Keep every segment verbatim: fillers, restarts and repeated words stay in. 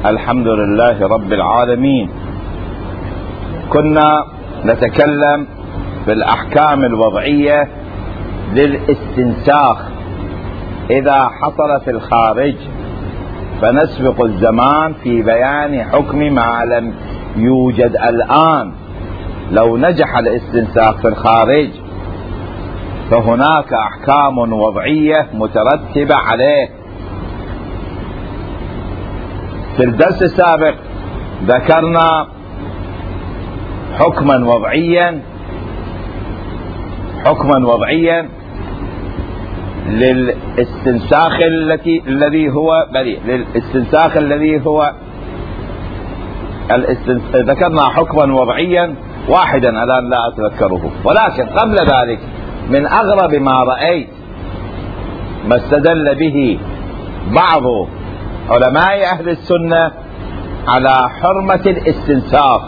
الحمد لله رب العالمين. كنا نتكلم بالأحكام الوضعية للاستنساخ إذا حصل في الخارج، فنسبق الزمان في بيان حكم ما لم يوجد الآن. لو نجح الاستنساخ في الخارج فهناك أحكام وضعية مترتبة عليه. في الدرس السابق ذكرنا حكما وضعيا حكما وضعيا للاستنساخ التي الذي هو بريء للاستنساخ الذي هو الاستنس... ذكرنا حكما وضعيا واحدا الآن لا أتذكره، ولكن قبل ذلك من أغرب ما رأيت ما استدل به بعض علماء أهل السنة على حرمة الاستنساخ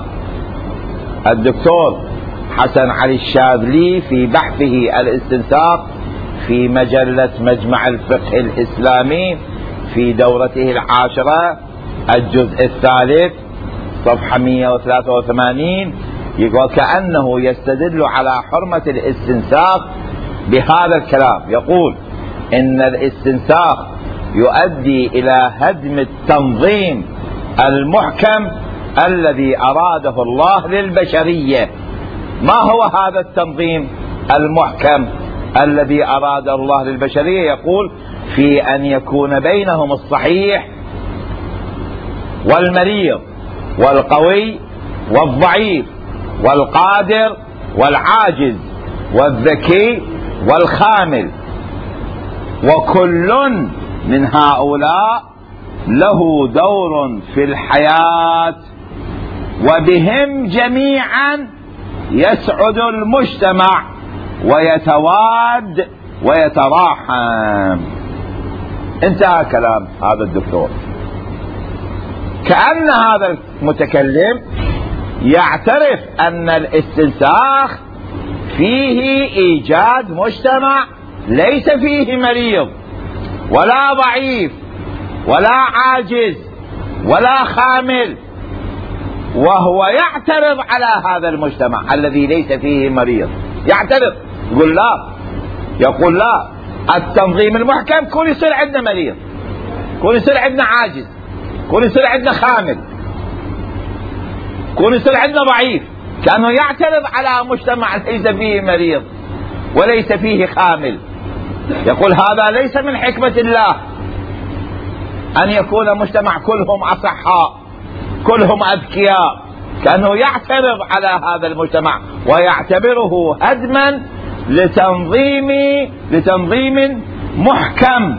الدكتور حسن علي الشاذلي في بحثه الاستنساخ في مجلة مجمع الفقه الإسلامي في دورته العاشرة الجزء الثالث صفحة مئة وثلاثة وثمانين، يقول كأنه يستدل على حرمة الاستنساخ بهذا الكلام. يقول إن الاستنساخ يؤدي إلى هدم التنظيم المحكم الذي أراده الله للبشرية. ما هو هذا التنظيم المحكم الذي أراد الله للبشرية؟ يقول في أن يكون بينهم الصحيح والمريض والقوي والضعيف والقادر والعاجز والذكي والخامل، وكل من هؤلاء له دور في الحياة، وبهم جميعا يسعد المجتمع ويتواد ويتراحم. انتهى كلام هذا الدكتور. كأن هذا المتكلم يعترف أن الاستنساخ فيه إيجاد مجتمع ليس فيه مريض ولا ضعيف ولا عاجز ولا خامل، وهو يعترض على هذا المجتمع الذي ليس فيه مريض. يعترض، يقول لا، يقول لا، التنظيم المحكم كون يصير عندنا مريض، كون يصير عندنا عاجز، كون يصير عندنا خامل، كون يصير عندنا ضعيف. كأنه يعترض على مجتمع ليس فيه مريض وليس فيه خامل. يقول هذا ليس من حكمة الله أن يكون مجتمع كلهم أصحاء كلهم أذكياء. كأنه يعترض على هذا المجتمع ويعتبره هدما لتنظيم لتنظيم محكم.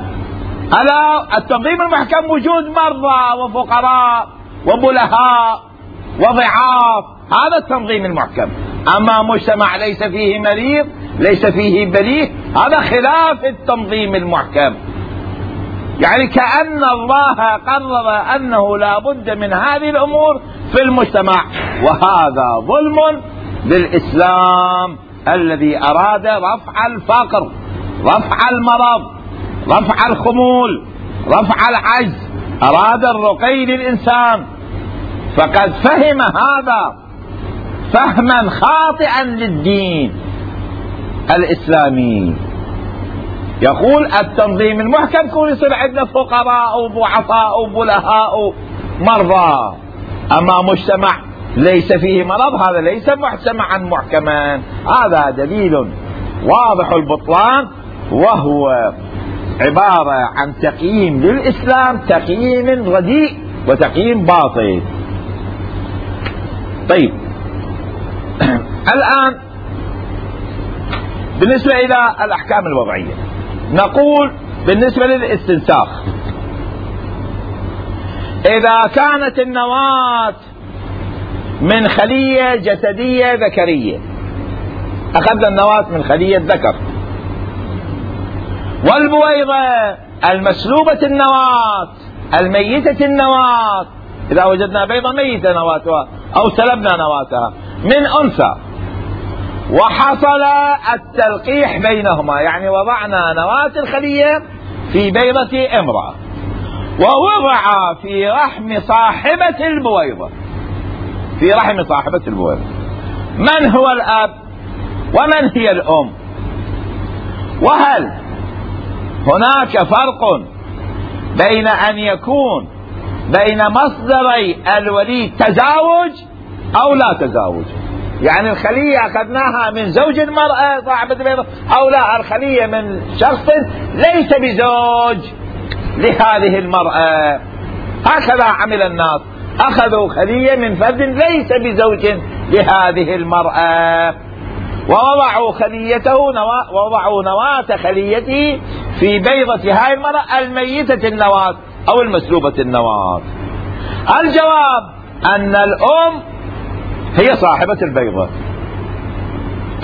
ألا التنظيم المحكم وجود مرضى وفقراء وبلهاء وضعاف، هذا التنظيم المحكم. أما مجتمع ليس فيه مريض ليس فيه بليه، هذا خلاف التنظيم المحكم. يعني كأن الله قرر أنه لا بد من هذه الأمور في المجتمع، وهذا ظلم للإسلام الذي أراد رفع الفقر، رفع المرض، رفع الخمول، رفع العجز، أراد الرقي للإنسان. فقد فهم هذا فهما خاطئا للدين الإسلامي. يقول التنظيم المحكم كون يصير عندنا فقراء وضعفاء وبلهاء مرضى، أما مجتمع ليس فيه مرض هذا ليس مجتمعا محكما. هذا دليل واضح البطلان، وهو عبارة عن تقييم للإسلام، تقييم رديء وتقييم باطل. طيب الآن بالنسبة إلى الأحكام الوضعية نقول بالنسبة للاستنساخ، إذا كانت النواة من خلية جسدية ذكرية، أخذنا النواة من خلية ذكر، والبويضة المسلوبة النواة الميتة النواة، إذا وجدنا بيضة ميتة نواتها أو سلبنا نواتها من أنثى، وحصل التلقيح بينهما، يعني وضعنا نواة الخلية في بيضة امرأة ووضع في رحم صاحبة البويضة، في رحم صاحبة البويضة. من هو الأب ومن هي الأم؟ وهل هناك فرق بين أن يكون بين مصدري الوليد تزاوج أو لا تزاوج؟ يعني الخلية أخذناها من زوج المرأة صاحبة البيضة، أو لا، الخلية من شخص ليس بزوج لهذه المرأة. هكذا عمل الناس، أخذوا خلية من فرد ليس بزوج لهذه المرأة، ووضعوا خليته نوا... ووضعوا نواة خليته في بيضة هاي المرأة الميتة النواة أو المسلوبة النواة. الجواب أن الأم هي صاحبة البيضة،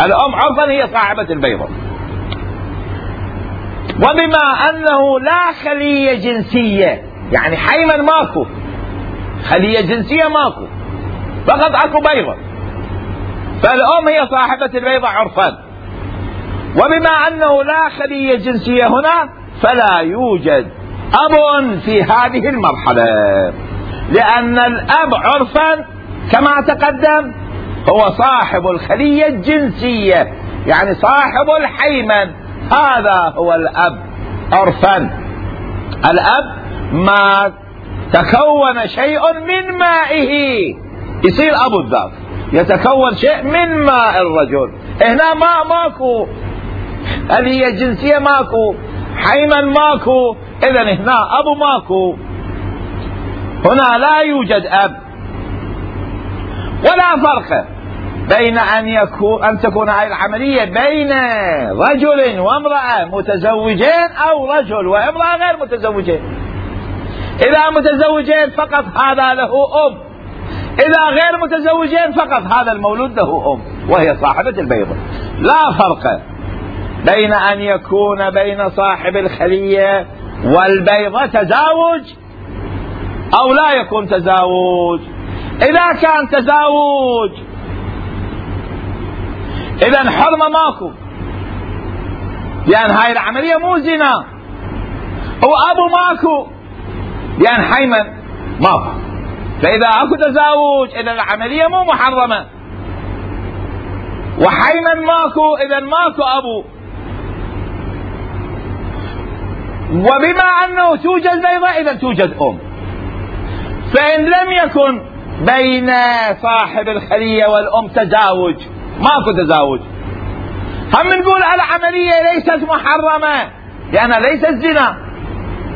الأم عرفا هي صاحبة البيضة. وبما أنه لا خلية جنسية، يعني حيما ماكو خلية جنسية، ماكو، فقط اكو بيضة، فالأم هي صاحبة البيضة عرفا. وبما أنه لا خلية جنسية هنا، فلا يوجد أب في هذه المرحلة، لأن الأب عرفا كما تقدم هو صاحب الخلية الجنسية، يعني صاحب الحيمن، هذا هو الأب عرفا. الأب ما تكون شيء من مائه يصير أبو الذات، يتكون شيء من ماء الرجل. هنا ماء ماكو، خلية جنسية ماكو، حيمن ماكو، إذن هنا أبو ماكو، هنا لا يوجد أب. ولا فرق بين أن يكون أن تكون هذه العملية بين رجل وامرأة متزوجين أو رجل وامرأة غير متزوجين. إذا متزوجين فقط هذا له أم، إذا غير متزوجين فقط هذا المولود له أم وهي صاحبة البيضة. لا فرق بين أن يكون بين صاحب الخلية والبيضة تزاوج أو لا يكون تزاوج. إذا كان تزاوج إذن حرمة ماكو، لأن هاي العملية مو زنا، وأبو ماكو لأن حيمن ماكو، فإذا أكو تزاوج إذن العملية مو محرمة، وحيمن ماكو إذن ماكو أبو. وبما أنه توجد بيضة إذن توجد أم. فإن لم يكن بين صاحب الخلية والأم تزاوج، ماكو تزاوج، هم نقول العملية ليست محرمة لأنها ليست زنا.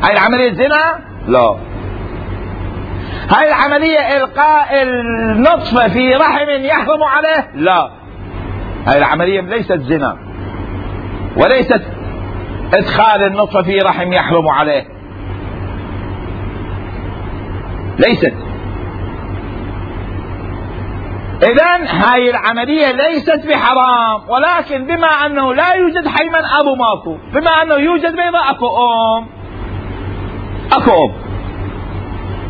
هاي العملية زنا؟ لا. هاي العملية إلقاء النطفة في رحم يحرم عليه؟ لا. هاي العملية ليست زنا، وليست إدخال النطفة في رحم يحرم عليه، ليست. إذن هاي العملية ليست بحرام، ولكن بما أنه لا يوجد حيمن أبو ماكو، بما أنه يوجد بيضة أكو أم، أكو أم.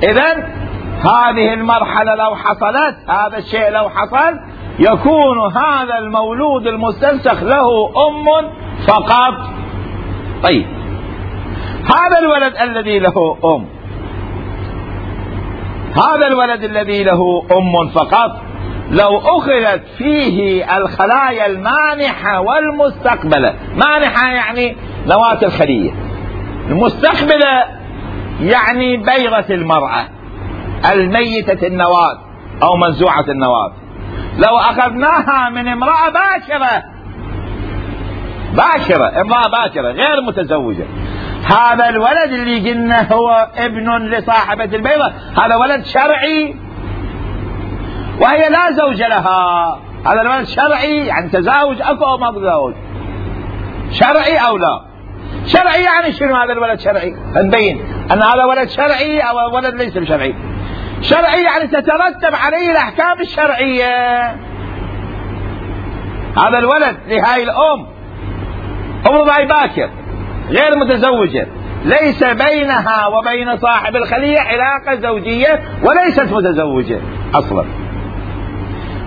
إذن هذه المرحلة لو حصلت، هذا الشيء لو حصل، يكون هذا المولود المستنسخ له أم فقط. طيب هذا الولد الذي له أم، هذا الولد الذي له أم فقط، لو أخذت فيه الخلايا المانحة والمستقبلة، مانحة يعني نواة الخلية، المستقبلة يعني بيضة المرأة الميتة النواة أو منزوعة النواة، لو أخذناها من امرأة باكرة، باكرة امرأة باكرة غير متزوجة، هذا الولد اللي قلنا هو ابن لصاحبة البيضة، هذا ولد شرعي وهي لا زوج لها، هذا الولد شرعي يعني تزاوج أكو أو ما تزاوج، شرعي أو لا. شرعي يعني شنو هذا الولد شرعي؟ نبين أن هذا ولد شرعي أو ولد ليس بشرعي. شرعي يعني تترتب عليه الأحكام الشرعية. هذا الولد لهاي الأم أمر باكر غير متزوجة، ليس بينها وبين صاحب الخلية علاقة زوجية وليست متزوجة أصلا.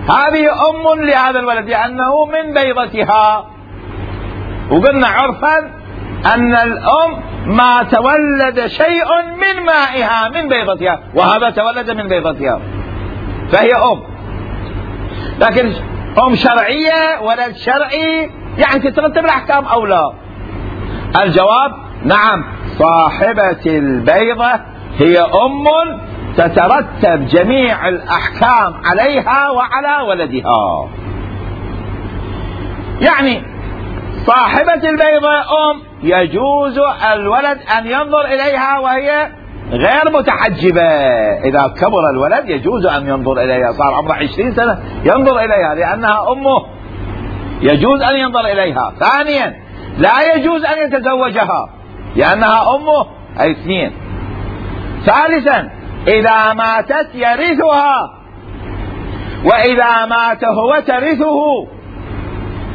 هذه أم لهذا الولد لأنه من بيضتها، وقلنا عرفا أن الأم ما تولد شيء من مائها من بيضتها، وهذا تولد من بيضتها، فهي أم. لكن أم شرعية ولد شرعي يعني تترتب الأحكام أو لا؟ الجواب نعم، صاحبة البيضة هي أم تترتب جميع الأحكام عليها وعلى ولدها. يعني صاحبة البيضة أم يجوز الولد أن ينظر إليها وهي غير متحجبة. إذا كبر الولد يجوز أن ينظر إليها، صار عمره عشرين سنة ينظر إليها لأنها أمه، يجوز أن ينظر إليها. ثانيا لا يجوز أن يتزوجها لأنها أمه، أي اثنين. ثالثا إذا ماتت يرثها، وإذا مات هو ترثه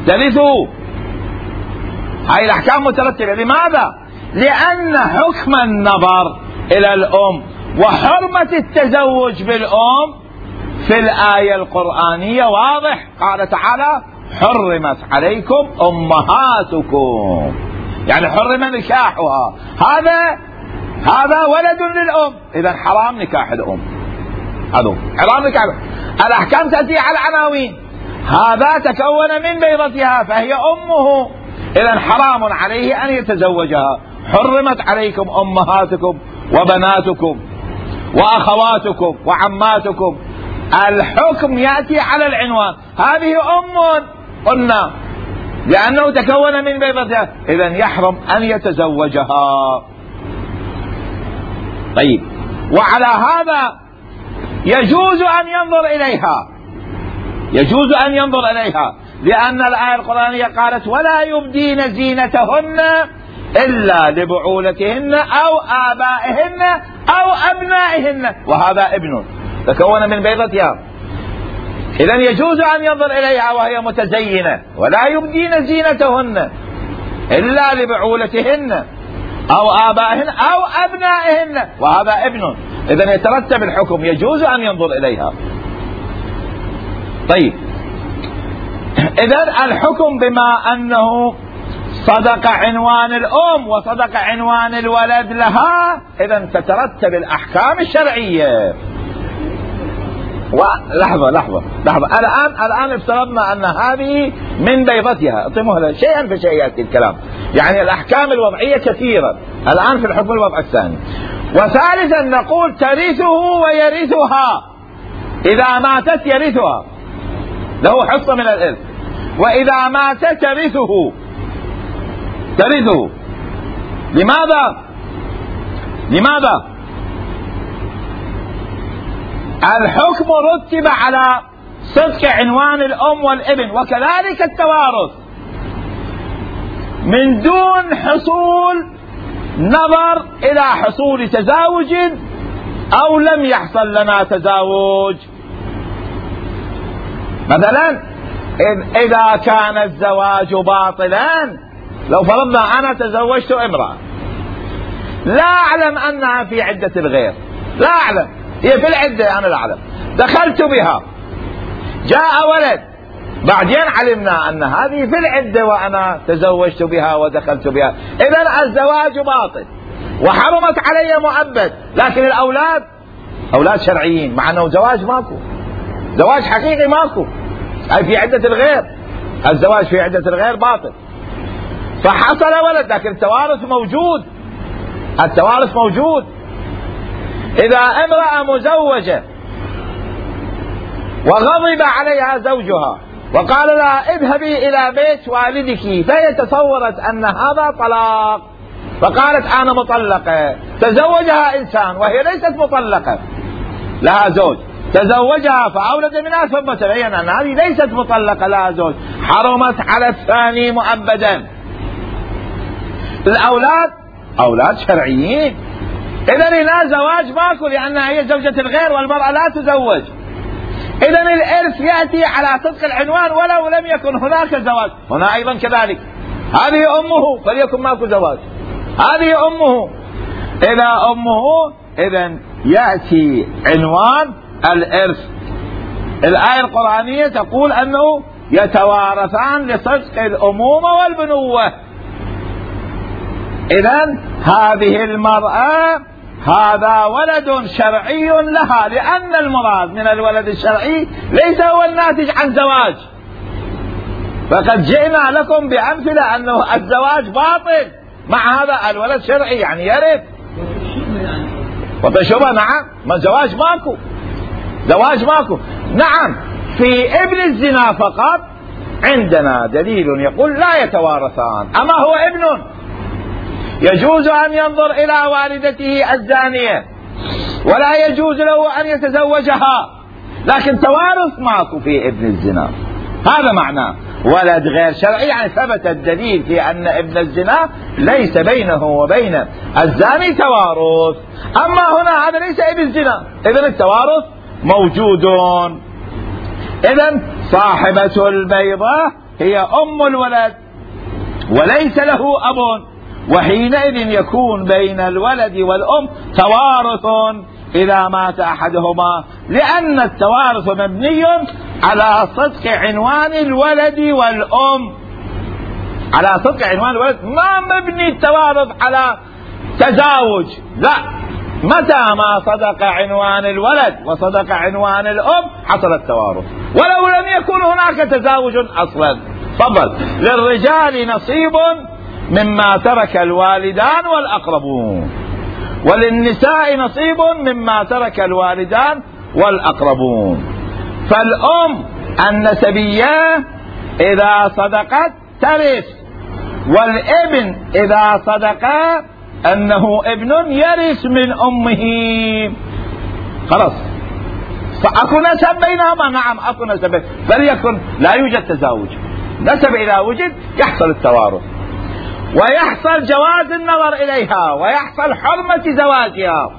ترثه هاي الأحكام مترتبة. لماذا؟ لأن حكم النظر إلى الأم وحرمة التزوج بالأم في الآية القرآنية واضح. قال تعالى حرمت عليكم أمهاتكم، يعني حرم نكاحها. هذا هذا ولد للأم، إذا حرام نكاح الأم، هذا حرام نكاح. الأحكام تأتي على العناوين. هذا تكون من بيضتها فهي أمه، إذا حرام عليه أن يتزوجها. حرمت عليكم أمهاتكم وبناتكم وأخواتكم وعماتكم. الحكم يأتي على العنوان. هذه أم قلنا لأنه تكون من بيضتها، إذا يحرم أن يتزوجها. طيب، وعلى هذا يجوز أن ينظر إليها، يجوز أن ينظر إليها لأن الآية القرآنية قالت ولا يبدين زينتهن إلا لبعولتهن أو آبائهن أو أبنائهن، وهذا ابن تكون من بيضتها. إذن يجوز أن ينظر إليها وهي متزينة. ولا يبدين زينتهن إلا لبعولتهن أو آبائهن أو أبنائهن، وهذا ابن. إذن يترتب الحكم، يجوز أن ينظر إليها. طيب، إذن الحكم بما أنه صدق عنوان الأم وصدق عنوان الولد لها، إذن تترتب الأحكام الشرعية. ولحظة لحظة لحظة الآن الآن افترضنا أن هذه من بيضتها، اطمئنوا شيئا فشيئا يأتي الكلام. يعني الأحكام الوضعية كثيرة الآن في الحكم الوضع الثاني. وثالثا نقول ترثه ويرثها، إذا ماتت يرثها، له حصة من الإرث. وإذا مات ترثه ترثه لماذا؟ لماذا؟ الحكم رتب على صدق عنوان الأم والابن، وكذلك التوارث من دون حصول نظر إلى حصول تزاوج أو لم يحصل لنا تزاوج. مثلا إذا كان الزواج باطلا، لو فرضنا أنا تزوجت امرأة لا أعلم أنها في عدة الغير، لا أعلم، هي في العدة أنا لا أعلم، دخلت بها، جاء ولد، بعدين علمنا أن هذه في العدة وأنا تزوجت بها ودخلت بها، إذن الزواج باطل وحرمت علي مؤبد. لكن الأولاد أولاد شرعيين، مع أنه زواج ماكو، زواج حقيقي ماكو، أي في عدة الغير، الزواج في عدة الغير باطل. فحصل ولد لكن التوارث موجود، التوارث موجود. إذا امرأة مزوجة وغضب عليها زوجها وقال لها اذهبي إلى بيت والدك، فهي تصورت أن هذا طلاق فقالت أنا مطلقة، تزوجها إنسان وهي ليست مطلقة، لها زوج، تزوجها فأولد منها ثم تبين أن هذه ليست مطلقة لها زوج، حرمت على الثاني مؤبدا. الأولاد أولاد شرعيين، إذن هنا زواج ماكو لأنها هي زوجة الغير والمرأة لا تزوج. إذن الإرث يأتي على صدق العنوان ولو لم يكن هناك زواج. هنا أيضا كذلك، هذه أمه فليكن ماكو زواج، هذه أمه، إذا أمه إذن يأتي عنوان الإرث. الآية القرآنية تقول أنه يتوارثان لصدق الأمومة والبنوة. إذن هذه المرأة هذا ولد شرعي لها، لأن المراد من الولد الشرعي ليس هو الناتج عن زواج. فقد جئنا لكم بأمثلة أنه الزواج باطل، مع هذا الولد شرعي يعني يرث وتشبه. نعم، ما زواج ماكو، زواج ماكو. نعم، في ابن الزنا فقط عندنا دليل يقول لا يتوارثان. أما هو ابن يجوز أن ينظر إلى والدته الزانية ولا يجوز له أن يتزوجها، لكن توارث ماكو في ابن الزنا. هذا معناه ولد غير شرعي، يعني ثبت الدليل في أن ابن الزنا ليس بينه وبين الزاني توارث. أما هنا هذا ليس ابن الزنا، إذن التوارث موجود. إذن صاحبة البيضة هي أم الولد وليس له أب، وحينئذ يكون بين الولد والأم توارث إذا مات أحدهما، لأن التوارث مبني على صدق عنوان الولد والأم، على صدق عنوان الولد، ما مبني التوارث على تزاوج. لا، متى ما صدق عنوان الولد وصدق عنوان الأم حصل التوارث، ولو لم يكن هناك تزاوج أصلا. تفضل. للرجال نصيب مما ترك الوالدان والأقربون، وللنساء نصيب مما ترك الوالدان والأقربون. فالأم النسبية إذا صدقت ترث، والابن إذا صدق أنه ابن يرث من أمه. خلاص، فأكو نسب بينهما. نعم أكو نسب، فليكن لا يوجد تزاوج، نسب إذا وجد يحصل التوارث ويحصل جواز النظر إليها ويحصل حرمة زواجها.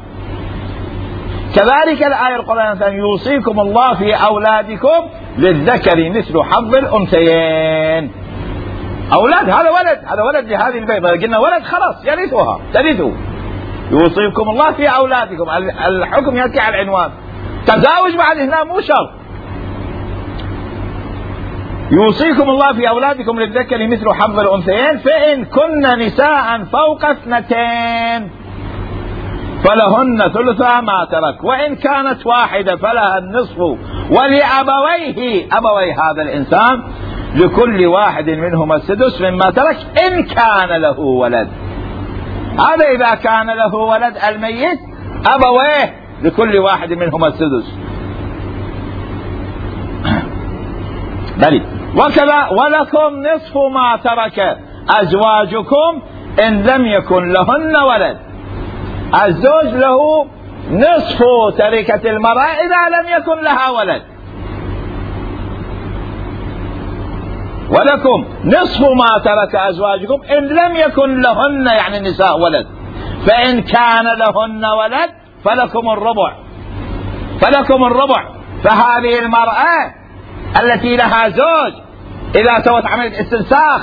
كذلك الآية القرآنية يوصيكم الله في أولادكم للذكر مثل حظ الأنثيين. أولاد، هذا ولد، هذا ولد لهذه البيضة، قلنا ولد خلاص يرثها ترثه. يوصيكم الله في أولادكم، الحكم يأتي على العنوان. تزاوج بعد هنا مو شرط. يوصيكم الله في أولادكم للذكر مثل حظ الأنثيين، فإن كن نساء فوق اثنتين فلهن ثلثا ما ترك، وإن كانت واحدة فلها النصف، ولأبويه، أبوي هذا الإنسان، لكل واحد منهما السدس مما ترك إن كان له ولد. هذا إذا كان له ولد الميت، أبويه لكل واحد منهما السدس. بلي. وكذا ولكم نصف ما ترك أزواجكم إن لم يكن لهن ولد. الزوج له نصف تركة المرأة إذا لم يكن لها ولد. ولكم نصف ما ترك أزواجكم إن لم يكن لهن، يعني النساء، ولد. فإن كان لهن ولد فلكم الربع، فلكم الربع. فهذه المرأة التي لها زوج إذا سوت عملية استنساخ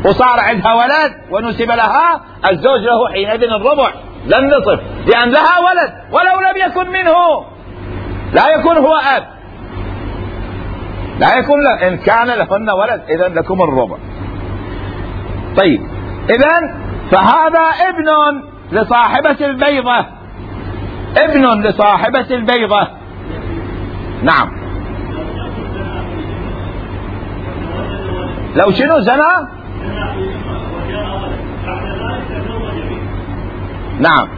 وصار عندها ولد ونسب لها، الزوج له حينئذ الربع لا النصف، لأن لها ولد ولو لم يكن منه، لا يكون هو أب، لا يكون له. إن كان لهن ولد إذن لكم الربع. طيب، إذن فهذا ابن لصاحبة البيضة، ابن لصاحبة البيضة. نعم. لو شنو زنا؟ نعم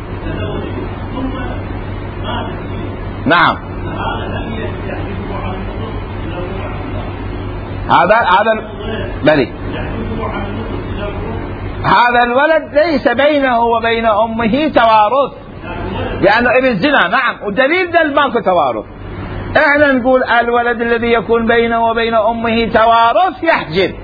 نعم. هذا هذا بلي هذا الولد ليس بينه وبين أمه توارث، لأنه ابن زنا. نعم، والدليل دل ماكو توارث. احنا نقول الولد الذي يكون بينه وبين أمه توارث يحجب،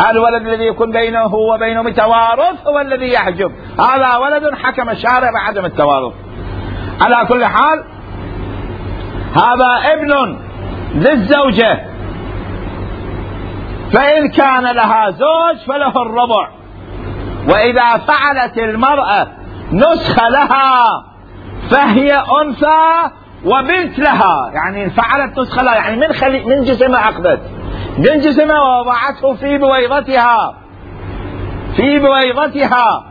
الولد الذي يكون بينه وبين أمه توارث هو الذي يحجب. هذا ولد حكم الشارع بعدم التوارث. على كل حال هذا ابن للزوجة، فإن كان لها زوج فله الربع. وإذا فعلت المرأة نسخ لها فهي أنثى وبنت لها، يعني فعلت نسخ لها، يعني من خلي من جسمها أخذت من جسمها ووضعته في بويضتها، في بويضتها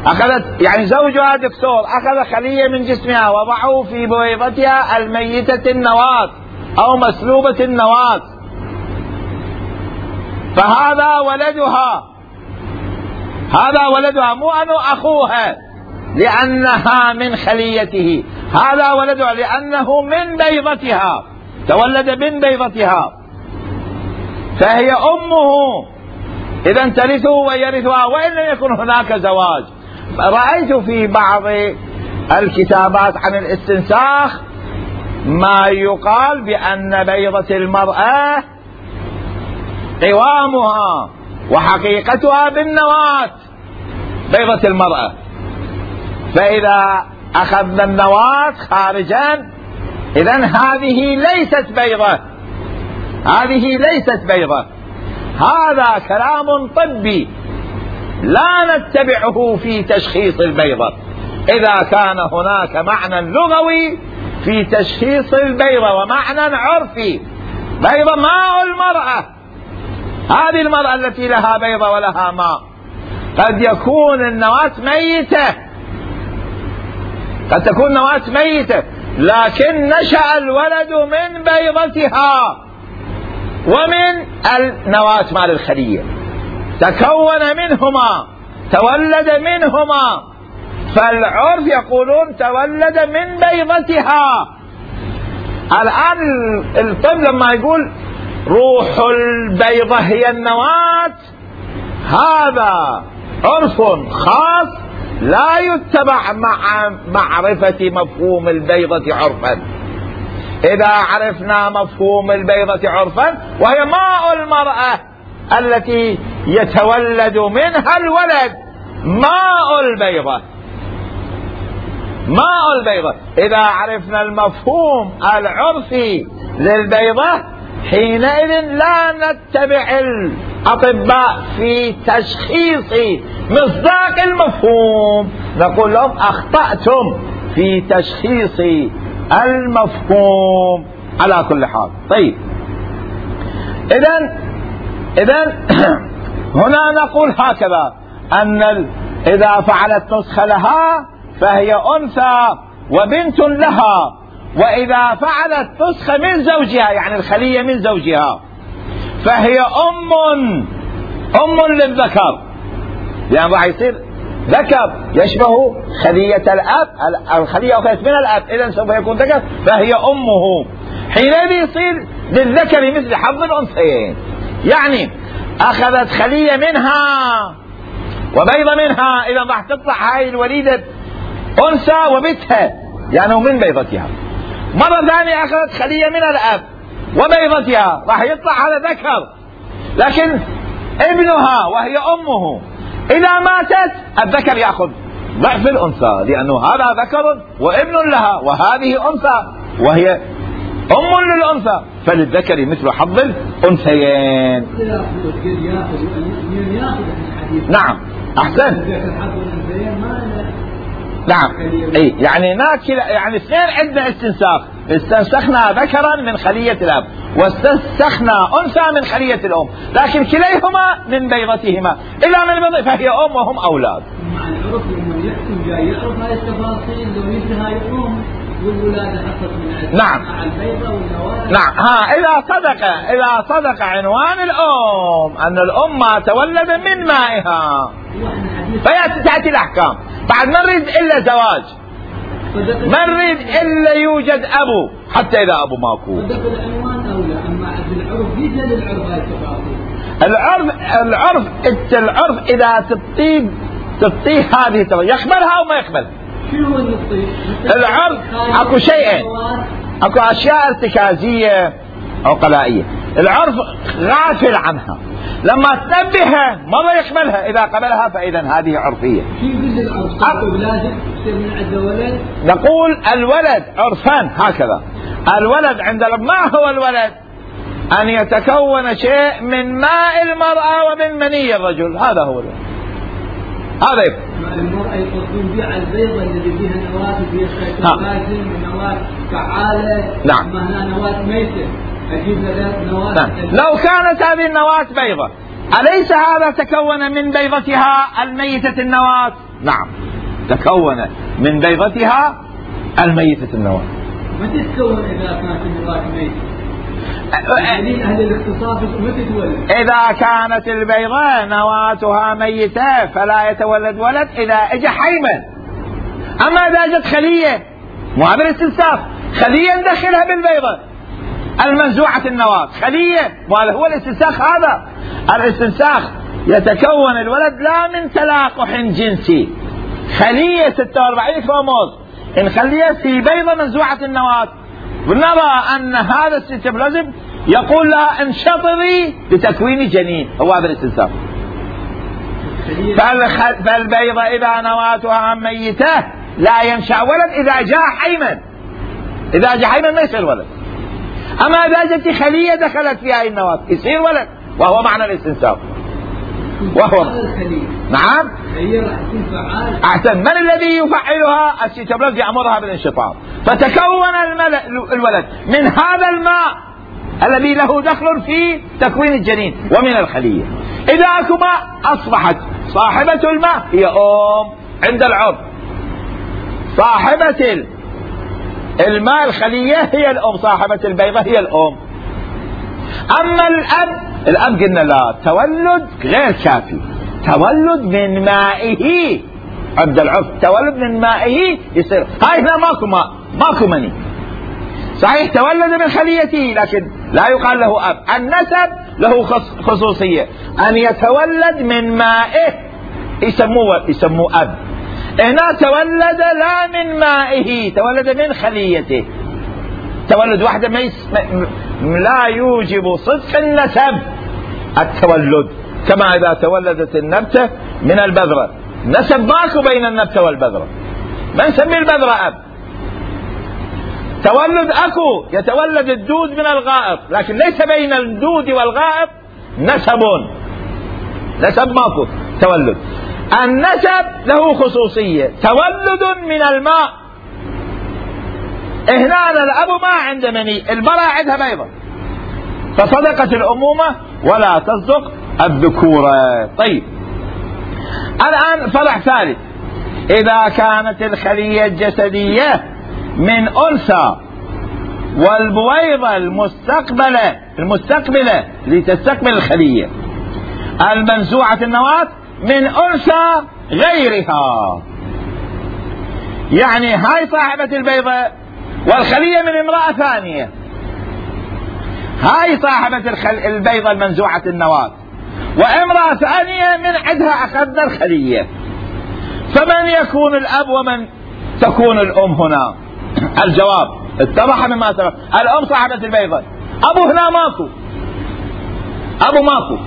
أخذت يعني زوجها دكتور أخذ خلية من جسمها وضعه في بويضتها الميتة النواة أو مسلوبة النواة، فهذا ولدها، هذا ولدها، مو أنه أخوها لأنها من خليته، هذا ولدها لأنه من بيضتها، تولد من بيضتها، فهي أمه، إذا ترثه ويرثها وإن لم يكن هناك زواج. رأيت في بعض الكتابات عن الاستنساخ ما يقال بأن بيضة المرأة قوامها وحقيقتها بالنواة، بيضة المرأة، فإذا أخذنا النواة خارجا إذن هذه ليست بيضة، هذه ليست بيضة. هذا كلام طبي لا نتبعه في تشخيص البيضة، إذا كان هناك معنى لغوي في تشخيص البيضة ومعنى عرفي. بيضة ماء المرأة، هذه المرأة التي لها بيضة ولها ماء، قد يكون النواة ميتة، قد تكون نواة ميتة لكن نشأ الولد من بيضتها ومن النواة مال الخلية، تكون منهما، تولد منهما، فالعرف يقولون تولد من بيضتها. الآن الطب لما يقول روح البيضة هي النواة، هذا عرف خاص لا يتبع مع معرفة مفهوم البيضة عرفا. إذا عرفنا مفهوم البيضة عرفا وهي ماء المرأة التي يتولد منها الولد، ماء البيضة، ماء البيضة، إذا عرفنا المفهوم العرفي للبيضة حينئذ لا نتبع الأطباء في تشخيص مصداق المفهوم، نقول لهم أخطأتم في تشخيص المفهوم. على كل حال طيب، إذن إذن هنا نقول هكذا أن إذا فعلت نسخة لها فهي أنثى وبنت لها، وإذا فعلت نسخة من زوجها يعني الخلية من زوجها فهي أم أم للذكر، يعني راح يصير ذكر يشبه خلية الأب، الخلية أخذت من الأب إذن سوف يكون ذكر فهي أمه، حينئذ يصير للذكر مثل حظ الأنثيين، يعني أخذت خلية منها وبيضة منها، إذا راح تطلع هاي الوليدة أنثى وبتها يعني من بيضتها. مرة ثانية أخذت خلية من الأب وبيضتها، راح يطلع هذا ذكر، لكن ابنها وهي أمه إذا ماتت الذكر يأخذ ضعف الأنثى، لأنه هذا ذكر وابن لها وهذه أنثى وهي أم للأنثى، فللذكر مثل حظ الأنثيين. نعم أحسن، نعم اي يعني ناكل، يعني اثنين عندنا استنساخ، استنسخنا ذكرا من خلية الأب واستنسخنا أنثى من خلية الأم، لكن كليهما من بيضتهما إلا من البيض فهي أم وهم أولاد. مع العرف لما يحكم جاي يعرف هاي التفاصيل لو يجي هاي الأم والولادة حصلت من نعم مع البيضة والنواه. نعم ها إذا صدق إذا صدق عنوان الأم أن الأم تولد من مائها فيأتي الأحكام. بعد ما نريد إلا زواج، ما نريد إلا يوجد أبو، حتى إذا أبو ماكو. العنوان أولى، أما العرف يجي للعرف هاي التفاصيل. العرف العرف العرف إذا تطيب تطيه هذه يقبلها أو ما يقبلها. شنو اللي تطيه؟ العرف أكو شيئين، أكو أشياء ارتكازية أو قلائية، العرف غافل عنها، لما تنبهها مرة يقبلها، إذا قبلها فإذا هذه عرفية. نقول الولد عرفان هكذا، الولد عند ما هو الولد أن يتكون شيء من ماء المرأة ومن مني الرجل، هذا هو الولد. هذا يبقى المرأة يقصدون بها البيضة اللي فيها نواة وفيها سيتوبلازم ونواة فعالة. نعم. ما هنا نواة ميتة، أجيب لها نواة. نعم. لو كانت هذه النواة بيضة أليس هذا تكون من بيضتها الميتة النواة؟ نعم تكون من بيضتها الميتة النواة. ما تتكون إذا كانت النواة ميتة؟ يعني أهل الاختصاص ما تتولد. إذا كانت البيضة نواتها ميتة فلا يتولد ولد إذا اجى حيما. أما إذا جت خلية مو هذا الاستنساخ، خلية ندخلها بالبيضة المنزوعة النواة، خلية وهذا هو الاستنساخ. هذا الاستنساخ يتكون الولد لا من تلاقح جنسي، خلية ستة وأربعين كروموز نخليها في بيضة منزوعة النواة، ونرى أن هذا السيتوبلازم يقول لها انشطري لتكوين جنين، هو هذا الاستنساخ. فالبيضة إذا نواتها ميتة لا ينشأ ولد إذا جاء حيما، إذا جاء حيما ما يصير ولد. أما إذا جت خلية دخلت فيها النواة يصير ولد، وهو معنى الاستنساخ. وهو نعم أحسن. من الذي يفعلها؟ السيتوبلازم يأمرها بالانشطار، فتكون الولد من هذا الماء الذي له دخل في تكوين الجنين ومن الخلية. إذا أكو ماء أصبحت صاحبة الماء هي أم عند العرف، صاحبة الماء الخلية هي الأم، صاحبة البيضة هي الأم. أما الأب، الأب قلنا لا، تولد غير كافي، تولد من مائه عند العرف، تولد من مائه يصير. هاي هنا ماكو ماء، ماكو مني، صحيح تولد من خليته لكن لا يقال له أب. النسب له خصوصية، أن يتولد من مائه يسموه يسموه أب. هنا تولد لا من مائه، تولد من خليته. تولد واحدة ما يس... لا يوجب صدق النسب التولد، كما إذا تولدت النبتة من البذرة، نسب ماكو بين النبتة والبذرة، ما نسمي البذرة أب. تولد أكو، يتولد الدود من الغائط، لكن ليس بين الدود والغائط نسب، نسب ماكو تولد. النسب له خصوصية، تولد من الماء. هنا الأب ما عنده مني، المرأة عندها بيضة، فصدقت الأمومة ولا تصدق الذكورة. طيب الآن فرع ثالث، إذا كانت الخلية الجسدية من أنثى والبويضة المستقبلة المستقبلة لتستقبل الخلية المنزوعة النواة من أنثى غيرها، يعني هاي صاحبة البيضة والخلية من امرأة ثانية، هاي صاحبة البيضة المنزوعة النواة وامرأة ثانية من عندها أخذنا الخلية، فمن يكون الأب ومن تكون الأم هنا؟ الجواب اتضح مما سبق، الأم صاحبة البيضة، أبو هنا ماكو، أبو ماكو،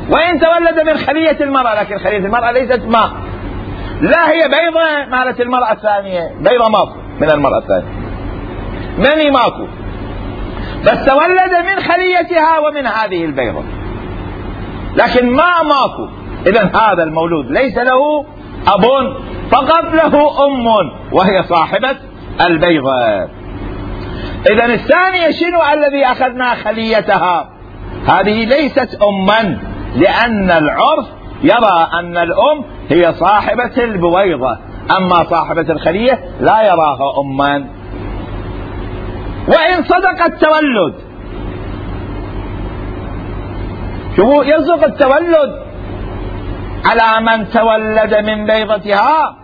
وإن تولد من خلية المرأة، لكن خلية المرأة ليست ماء، لا هي بيضة مالت المرأة الثانية، بيضة ماكو من المرأة الثانية، مني ماكو، بس تولد من خليتها ومن هذه البيضة، لكن ما ماكو. إذن هذا المولود ليس له أب، فقط له أم وهي صاحبة البيضة. إذن الثانية شنو؟ الذي أخذنا خليتها، هذه ليست أما، لأن العرف يرى أن الأم هي صاحبة البويضة، أما صاحبة الخلية لا يراها أما. وإن صدق التولد، شوفوا يصدق التولد على من تولد من بيضتها،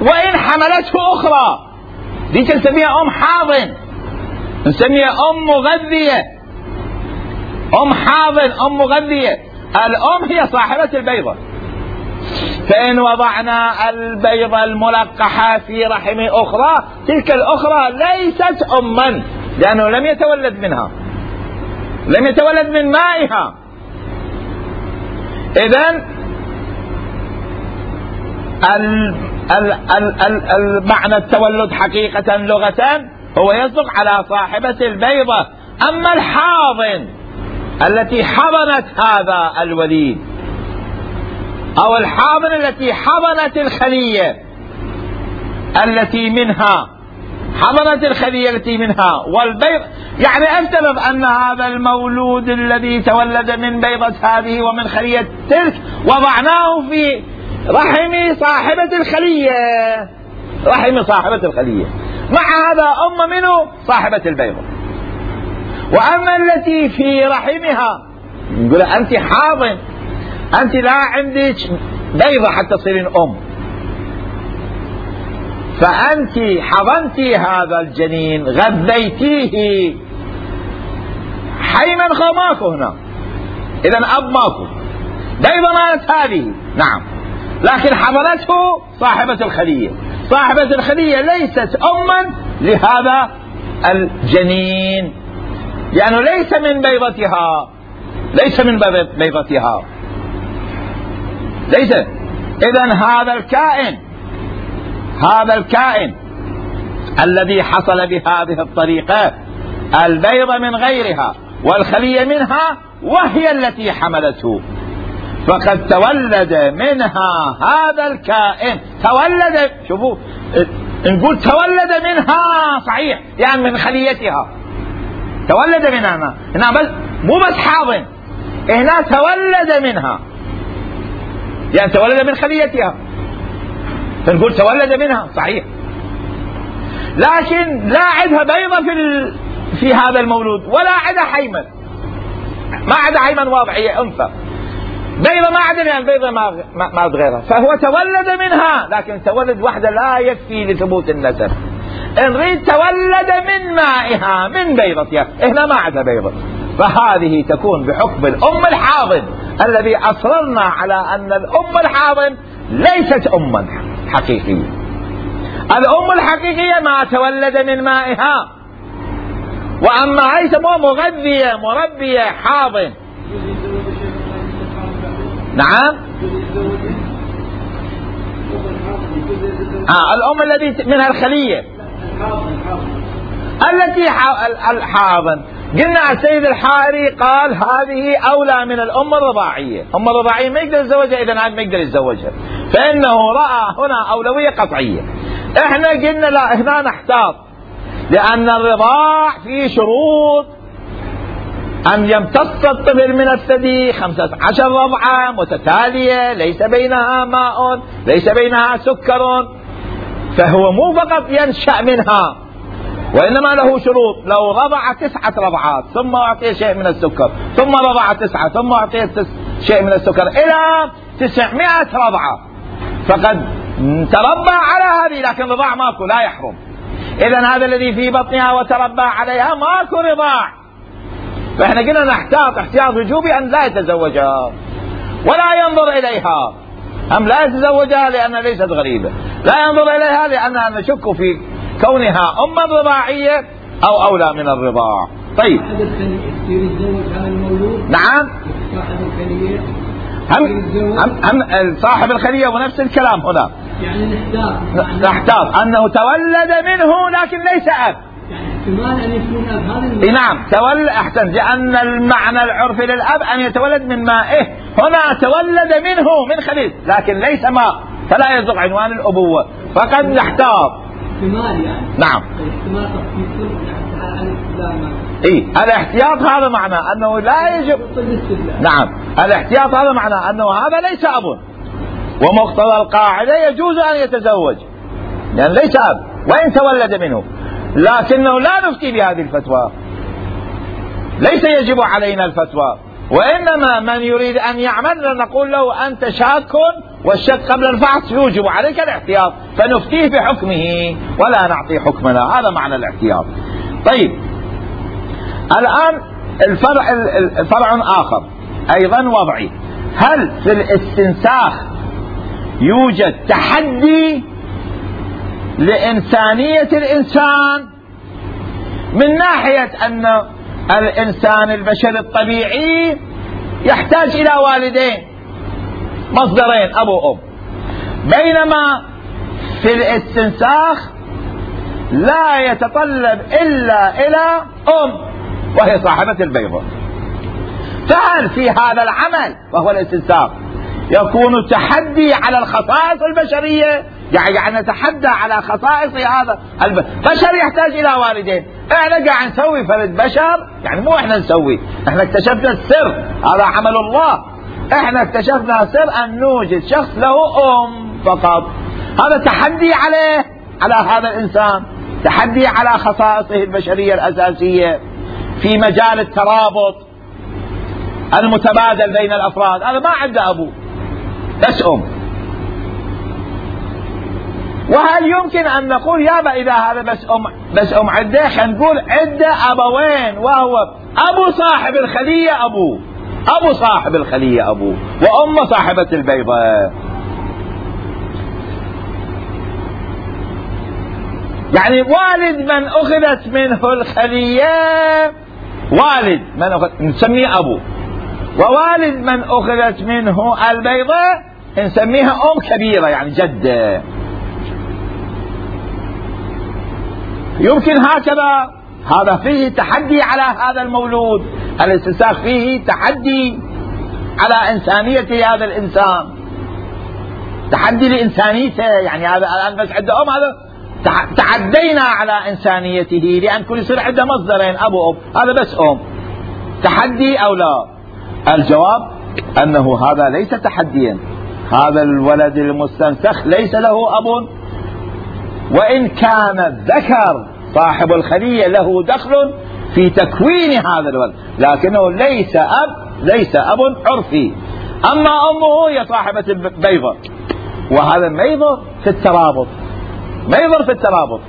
وإن حملته أخرى، دي نسميها أم حاضن، نسميها أم مغذية، أم حاضن، أم مغذية. الأم هي صاحبة البيضة، فإن وضعنا البيضة الملقحة في رحم أخرى، تلك الأخرى ليست أما، لأنه لم يتولد منها، لم يتولد من مائها. إذن المعنى التولد حقيقة لغة هو يصدق على صاحبة البيضة. أما الحاضن التي حضنت هذا الوليد، أو الحاضن التي حضنت الخلية التي منها، حضنت الخلية التي منها والبيض، يعني افترض أن هذا المولود الذي تولد من بيضة هذه ومن خلية تلك وضعناه في رحم صاحبة الخلية، رحم صاحبة الخلية، مع هذا أم منه صاحبة البيضة. وأما التي في رحمها نقول أنت حاضن، أنت لا عندك بيضة حتى تصيرين أم، فأنت حضنت هذا الجنين غذيتيه، حي منخى ماكو هنا، إذن أب ماكو، بيضة مالت هذه نعم، لكن حضنته صاحبة الخلية. صاحبة الخلية ليست أما لهذا الجنين لأنه يعني ليس من بيضتها، ليس من بيضتها ليس. إذن هذا الكائن، هذا الكائن الذي حصل بهذه الطريقة، البيضة من غيرها والخلية منها وهي التي حملته، فقد تولد منها هذا الكائن، تولد، شوفوا نقول تولد منها صحيح يعني من خليتها، تولد منها هنا، بس مو بس حاضن، هنا تولد منها يعني تولد من خليتها، فنقول تولد منها صحيح، لكن لا عندها بيضة في ال... في هذا المولود، ولا عندها حيمن، ما عندها حيمن واضحية أنثى، بيضة ما عندها يعني بيضة ما ما غيرها، فهو تولد منها، لكن تولد وحده لا يكفي لثبوت النسب. نريد تولد من مائها من بيضتها، هنا ما عندها بيضة، فهذه تكون بحكم الأم الحاضن الذي أصررنا على أن الأم الحاضن ليست أما حقيقية. الأم الحقيقية ما تولد من مائها، وأما هي يسموها مغذية مربية حاضن. نعم آه الأم التي منها الخلية التي الحاضن، قلنا السيد الحائري قال هذه أولى من الأم الرضاعية، أم الرضاعية ما يقدر يتزوجها، إذا هذا ما يقدر يتزوجها، فإنه رأى هنا أولوية قطعية. إحنا قلنا لا، هنا نحتاط، لأن الرضاع فيه شروط، أن يمتص الطفل من الثدي خمسة عشر رضعة متتالية ليس بينها ماء ليس بينها سكر، فهو مو فقط ينشأ منها، وإنما له شروط. لو رضع تسعة رضعات ثم أعطي شيء من السكر، ثم رضع تسعة ثم أعطي شيء من السكر إلى تسعمائة رضعة، فقد تربى على هذه، لكن رضاع ماكو لا يحرم. إذن هذا الذي في بطنها وتربى عليها ماكو رضاع، فإحنا قلنا نحتاط احتياط وجوبي أن لا يتزوجها ولا ينظر إليها، هم لا يتزوجها لأنها ليست غريبة، لا ينظر إليها لأننا نشك في كونها أما رضاعية أو أولى من الرضاع. طيب نعم هم, هم, هم صاحب الخلية ونفس الكلام هنا، يعني نحتاط نحتاط أنه تولد منه لكن ليس أب، احتمال أن يكون أب هذا. نعم تولد أحسن، لأن المعنى العرفي للأب أن يتولد من مائه، هنا تولد منه من خليل لكن ليس ماء، فلا يصدق عنوان الأبوة، فقد نحتاط احتمال يعني. نعم احتمال إيه الاحتياط هذا معنى أنه لا يجب. نعم الاحتياط هذا معنى أنه هذا ليس أب، ومقتضى القاعدة يجوز أن يتزوج لأن يعني ليس أب وإن تولد منه، لكنه لا نفتي بهذه الفتوى، ليس يجب علينا الفتوى، وإنما من يريد أن يعمل نقول له أنت شاك، والشك قبل الفحص يوجب عليك الاحتياط، فنفتيه بحكمه ولا نعطي حكمنا، هذا معنى الاحتياط. طيب الآن الفرع الفرع آخر أيضا وضعي، هل في الاستنساخ يوجد تحدي لإنسانية الإنسان من ناحية أن الإنسان البشري الطبيعي يحتاج إلى والدين مصدرين أب وأم، بينما في الاستنساخ لا يتطلب إلا إلى أم وهي صاحبة البيضة، فهل في هذا العمل وهو الاستنساخ يكون تحدي على الخصائص البشرية؟ يعني نتحدى على خصائص هذا البشر يحتاج إلى والدين، احنا قاعد نسوي فرد بشر، يعني مو احنا نسوي، احنا اكتشفنا السر، هذا عمل الله، احنا اكتشفنا سر ان نوجد شخص له ام فقط. هذا تحدي عليه، على هذا الانسان، تحدي على خصائصه البشرية الاساسية في مجال الترابط المتبادل بين الافراد. هذا ما عنده ابو، بس ام. وهل يمكن ان نقول يابا اذا هذا بس ام بس ام عنده، خلينا نقول عنده ابوين، وهو ابو صاحب الخلية ابوه، ابو صاحب الخلية ابوه، وام صاحبة البيضة. يعني والد من اخذت منه الخلية، والد من أخذ نسميه ابو، ووالد من اخذت منه البيضة نسميها ام كبيرة، يعني جدة. يمكن هكذا. هذا فيه تحدي على هذا المولود، الاستنساخ فيه تحدي على إنسانية هذا الإنسان، تحدي لإنسانيته. يعني هذا الآن بس عنده أم، هذا تعدينا على إنسانيته، لأن كل يصير عنده مصدرين أبو أم، هذا بس أم. تحدي أو لا؟ الجواب أنه هذا ليس تحديا. هذا الولد المستنسخ ليس له أب، وإن كان الذكر صاحب الخلية له دخل في تكوين هذا الولد، لكنه ليس أب، ليس أب عرفي. أما أمه هي صاحبة البيضة، وهذا ما يضر في الترابط، ما يضر في الترابط،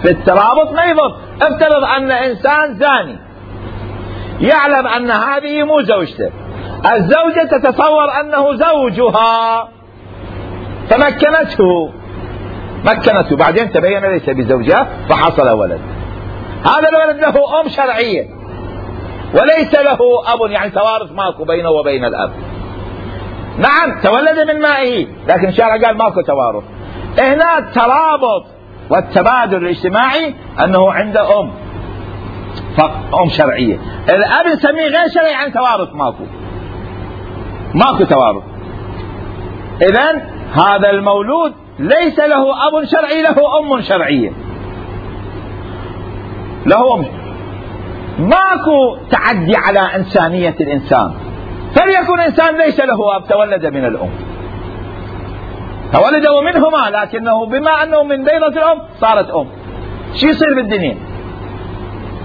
في الترابط ما يضر. افترض أن إنسان زاني يعلم أن هذه مو زوجته، الزوجة تتصور أنه زوجها فمكنته، مكنته، بعدين تبين ليس بزوجها فحصل ولد. هذا الولد له أم شرعية وليس له أب، يعني توارث ماكو بينه وبين الأب. نعم تولد من مائه، لكن الشرع قال ماكو توارث. هنا الترابط والتبادل الاجتماعي أنه عنده أم، أم شرعية. الأب نسميه غير شرعي، يعني توارث ماكو، ماكو توارث. إذن هذا المولود ليس له أب شرعي، له أم شرعية، له أم. ماكو تعدي على إنسانية الإنسان. فليكن إنسان ليس له أب، تولد من الأم، تولد منهما، لكنه بما أنه من بيضة الأم صارت أم. شو يصير بالدنيا؟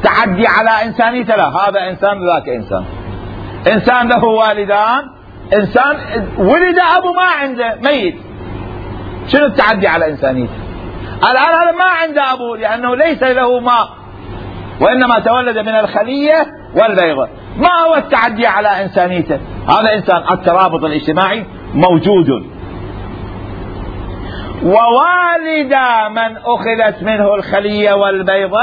تعدي على إنسانيته؟ لا، هذا إنسان ذاك إنسان. إنسان له والدان، إنسان ولد أبو ما عنده، ميت. شنو التعدي على إنسانيته؟ الآن هذا ما عنده أبو لأنه ليس له ماء، وإنما تولد من الخلية والبيضة. ما هو التعدي على إنسانيته؟ هذا إنسان. الترابط الاجتماعي موجود. ووالد من أخذت منه الخلية والبيضة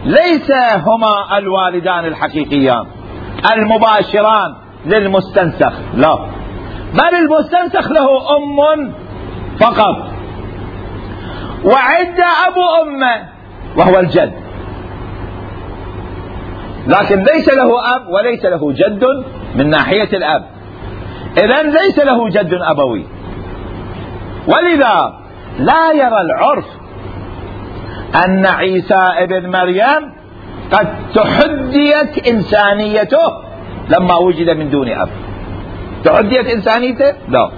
ليس هما الوالدان الحقيقيان المباشران للمستنسخ، لا، بل المستنسخ له أم فقط، وعند أبو أمه وهو الجد، لكن ليس له أب وليس له جد من ناحية الأب. إذن ليس له جد أبوي. ولذا لا يرى العرف أن عيسى ابن مريم قد تحديت إنسانيته لما وجد من دون أب. تحديت إنسانيته؟ لا،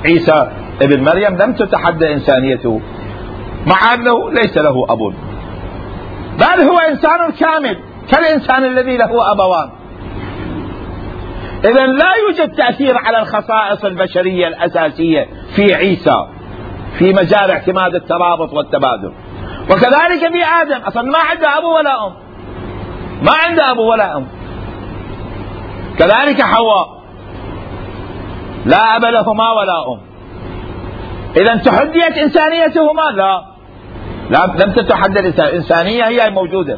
عيسى ابن مريم لم تتحدى إنسانيته مع أنه ليس له أب، بل هو إنسان كامل كالإنسان الذي له أبوان. إذن لا يوجد تأثير على الخصائص البشرية الأساسية في عيسى في مجال اعتماد الترابط والتبادل. وكذلك في آدم، أصلا ما عنده أبو ولا أم، ما عنده أبو ولا أم. كذلك حواء لا أب لهما ولا أم. إذن تحديت إنسانيتهما؟ لا، لم تتحدى الإنسانية، هي موجودة.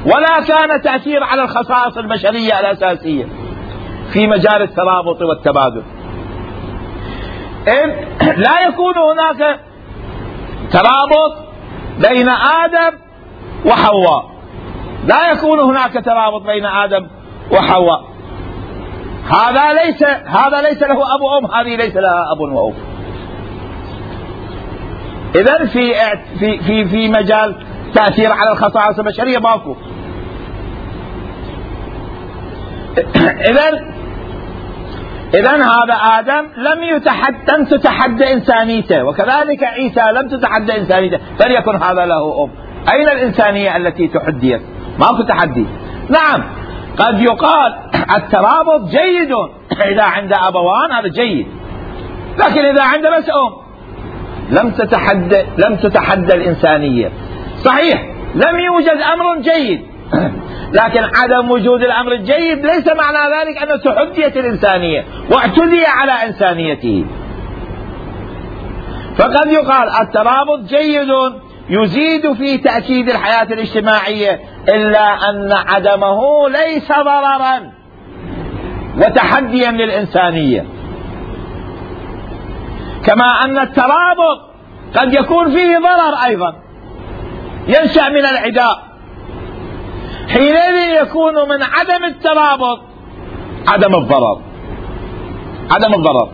ولا كان تأثير على الخصائص البشرية الأساسية في مجال الترابط والتبادل. إذ لا يكون هناك ترابط بين آدم وحواء، لا يكون هناك ترابط بين آدم وحواء. هذا ليس هذا ليس له أب وأم، هذه ليس لها أب وأم. إذن في في في في مجال تأثير على الخصائص البشرية ماكو. إذن إذن هذا آدم لم يتحد لم تتحدى إنسانيته، وكذلك عيسى لم تتحدى إنسانيته، فليكن هذا له أم. أين الإنسانية التي تحديت؟ ماكو تحدي. نعم قد يقال الترابط جيد إذا عند أبوان، هذا جيد، لكن إذا عند بس أم لم تتحدى لم تتحدى الإنسانية. صحيح لم يوجد أمر جيد، لكن عدم وجود الأمر الجيد ليس معنى ذلك أن تحديت الإنسانية واعتدي على إنسانيته. فقد يقال الترابط جيد يزيد في تأكيد الحياة الاجتماعية، إلا أن عدمه ليس ضررا وتحديا للإنسانية. كما أن الترابط قد يكون فيه ضرر أيضا ينشأ من العداء، حينئذ يكون من عدم الترابط عدم الضرر. عدم الضرر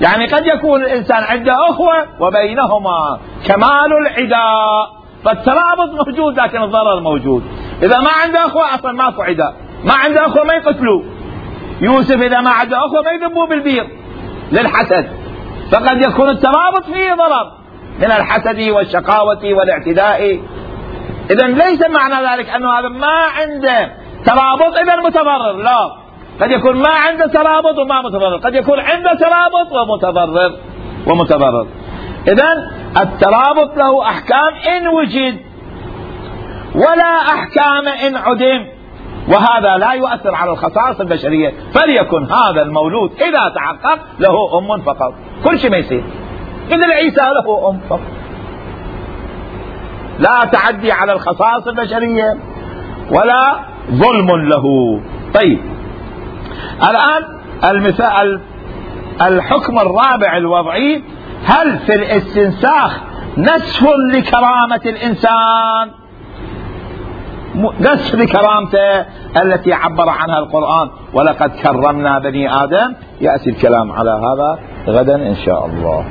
يعني قد يكون الإنسان عنده أخوة وبينهما كمال العداء، فالترابط موجود لكن الضرر موجود. إذا ما عنده أخوة أصلا ماكو عداء، ما عنده أخوة ما يقتلوه. يوسف إذا ما عنده أخوة ما يذبوه بالبير للحسد، فقد يكون الترابط فيه ضرر من الحسد والشقاوة والاعتداء. إذن ليس معنى ذلك أنه هذا ما عنده ترابط إذا متضرر، لا، قد يكون ما عنده ترابط وما متضرر، قد يكون عنده ترابط ومتضرر ومتضرر. إذن الترابط له أحكام إن وجد ولا أحكام إن عدم، وهذا لا يؤثر على الخصائص البشرية. فليكن هذا المولود إذا تحقق له أم فقط، كل شيء ما يصير. إذن عيسى له أم فقط، لا تعدي على الخصائص البشرية ولا ظلم له. طيب الآن المثال الحكم الرابع الوضعي: هل في الاستنساخ نسف لكرامة الإنسان؟ نسف لكرامته التي عبر عنها القرآن: ولقد كرمنا بني آدم. يأتي الكلام على هذا غدا إن شاء الله.